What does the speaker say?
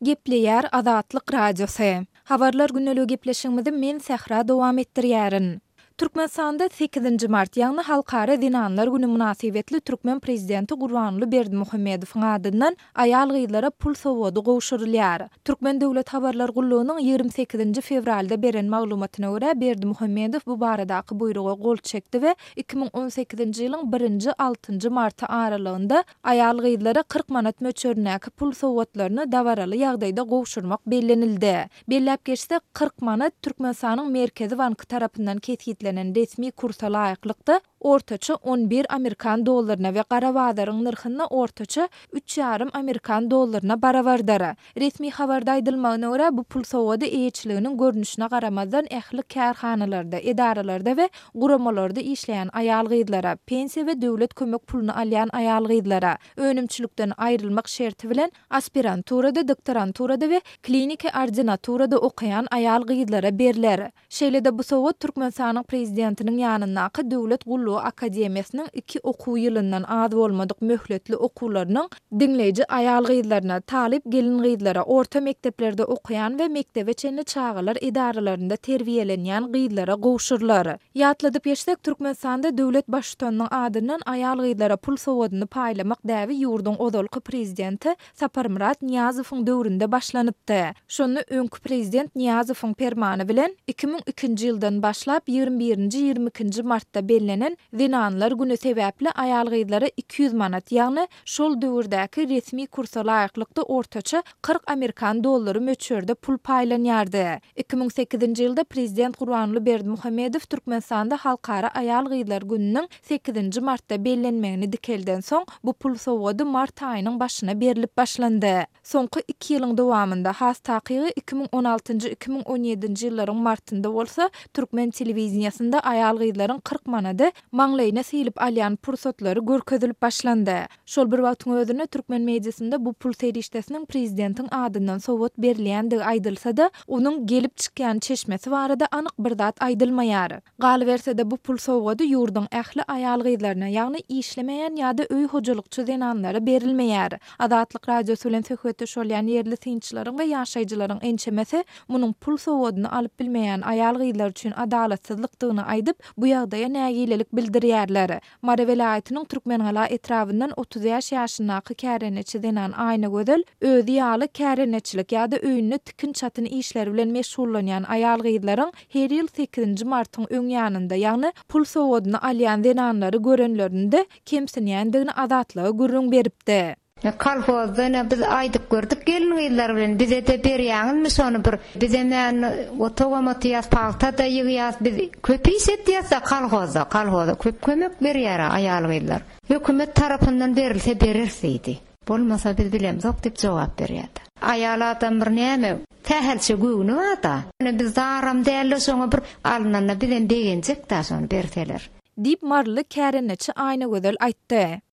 Gepleýär Azatlyk Radiosy. Habarlar gündeligi gepleşigimizi men Sähra dowam etdirýärin. Türkmenistanda sekizinji mart, ýagny Halkara zenanlar güni mynasybetli türkmen prezidenti Gurbanguly Berdimuhamedowyň adyndan aýal-gyzlara pul sowgady gowşurylýar. Türkmen döwlet habarlar gullugynyň 28-nji fewralda beren maglumatyna görä, Berdimuhamedow bu baradaky buýruga gol çekdi we 2018-nji ýylyň birinji, altynjy marty aralygynda Aýal-gyzlara 40 manat möçberindäki pul sowgatlaryny dabaraly ýagdaýda gowşurmak bellenildi. Belläp geçsek, 40 manat Türkmenistanyň Merkezi banky tarapyndan kesgitlenen resmi kursa laýyklykda, ortaça on bir amerikan dollaryna we gara bazaryň nyrhynda ortaça üç ýarym amerikan dollaryna barabardyr. Resmi habarda aýdylmagyna görä, bu pul sowgady eýeçiliginiň görnüşine garamazdan ähli kärhanalarda, edaralarda we guramalarda işleýän aýal-gyzlara, pensiýa we döwlet kömek puluny alýan aýal-gyzlara, önümçilikden aýrylmak şerti bilen aspiranturada, doktoranturada we kliniki ordinaturada okaýan aýal-gyzlara berler. Şeýle-de bu sowgat Türkmenistanyň Prezidentiniň ýanyndaky Döwlet gullugy akademiýasynyň iki okuw ýylyndan az bolmadyk möhletli okuwlarynyň diňleýji aýal-gyzlaryna, talyp gelin-gyzlara, orta mekdeplerde okaýan we mekdebe çenli çagalar edaralarynda terbiýelenýän gyzlara gowşurylar. Ýatladyp geçsek, Türkmenistanda döwlet Baştutanynyň adyndan aýal-gyzlara pul sowgadyny paýlamak däbi ýurduň ozalky Prezidenti Saparmyrat Nyýazowyň döwründe başlanypdy. Şonda öňki prezident Nyýazowyň permany bilen 2002-nji ýyldan başlap 21-nji, 22-nji martda bellenen Zenanlar güni sebäpli aýal-gyzlara 200 manat, ýagny şol döwürdäki resmi kursa laýyklykda ortaça 40 amerikan dollary möçberde pul paýlanýardy. 2008-nji ýylda prezident Gurbanguly Berdimuhamedow Türkmenistanda Halkara aýal-gyzlar gününiň sekizinji martda bellenmegini dikeldensoň, bu pul sowgady mart aýynyň başyna berlip başlandy. Soňky iki ýylyň dowamynda, has takygy 2016-njy, 2017-nji ýyllaryň martynda bolsa, türkmen telewideniýesinde aýal-gyzlaryň 40 manady maňlaýyna sylyp alýan pursatlary görkezilip başlandy. Şol bir wagtyň özünde türkmen mediasynda bu pul serişdesiniň prezidentiň adyndan sowgat berilýändigi aýdylsa-da, onuň gelip çykýan çeşmesi barada anyk bir zat aýdylmaýar. Galyberse-de, bu pul sowgady ýurduň ähli aýal-gyzlaryna, ýagny işlemeýän ýa-da öý hojalykçy zenanlara berilmeýär. Azatlyk Radiosy bilen söhbetdeş bolýan ýerli synçylaryň we ýaşaýjylaryň ençemesi munuň pul sowgadyny alyp bilmeýän aýal-gyzlar üçin adalatsyzlykdygyny aýdyp, bu ýagdaýa nägilelik bildirýärler. Mary welaýatynyň Türkmengala etrabyndan 35 ýaşyndaky kärendeçi zenan Aýnagözel özi ýaly kärendeçilik ýa-da öýünde tikin-çatyn işleri bilen meşgullanýan aýal-gyzlaryň her ýyl sekizinji martyň öň ýanynda, ýagny pul sowgadyny alýan zenanlary görenlerinde kemsinýändigini Azatlyga gürrüň beripdi. Kolhozda ine biz aýdyp gördük gelin-gyzlar bilen, bize-de berýäňizmi şony bir, bizem-ä indi otagam otaýas, pagta-da ýygýas, biz köp iş etýäs-de kolhozda, kolhoza köp kömek berýär-ä aýal-gyzlar. Hökümet tarapyndan berilse bereris diýdi. Bolmasa biz bilemzok diýip jogap berýärdi. Aýal adam bir näme, sähelçe göwni bar-da. Ine biz zaram däl-de şoňa bir alnanda bizem begenjek-dä şony berseler. Diýip, maryly kärendeçi Aýnagözel aýtdy.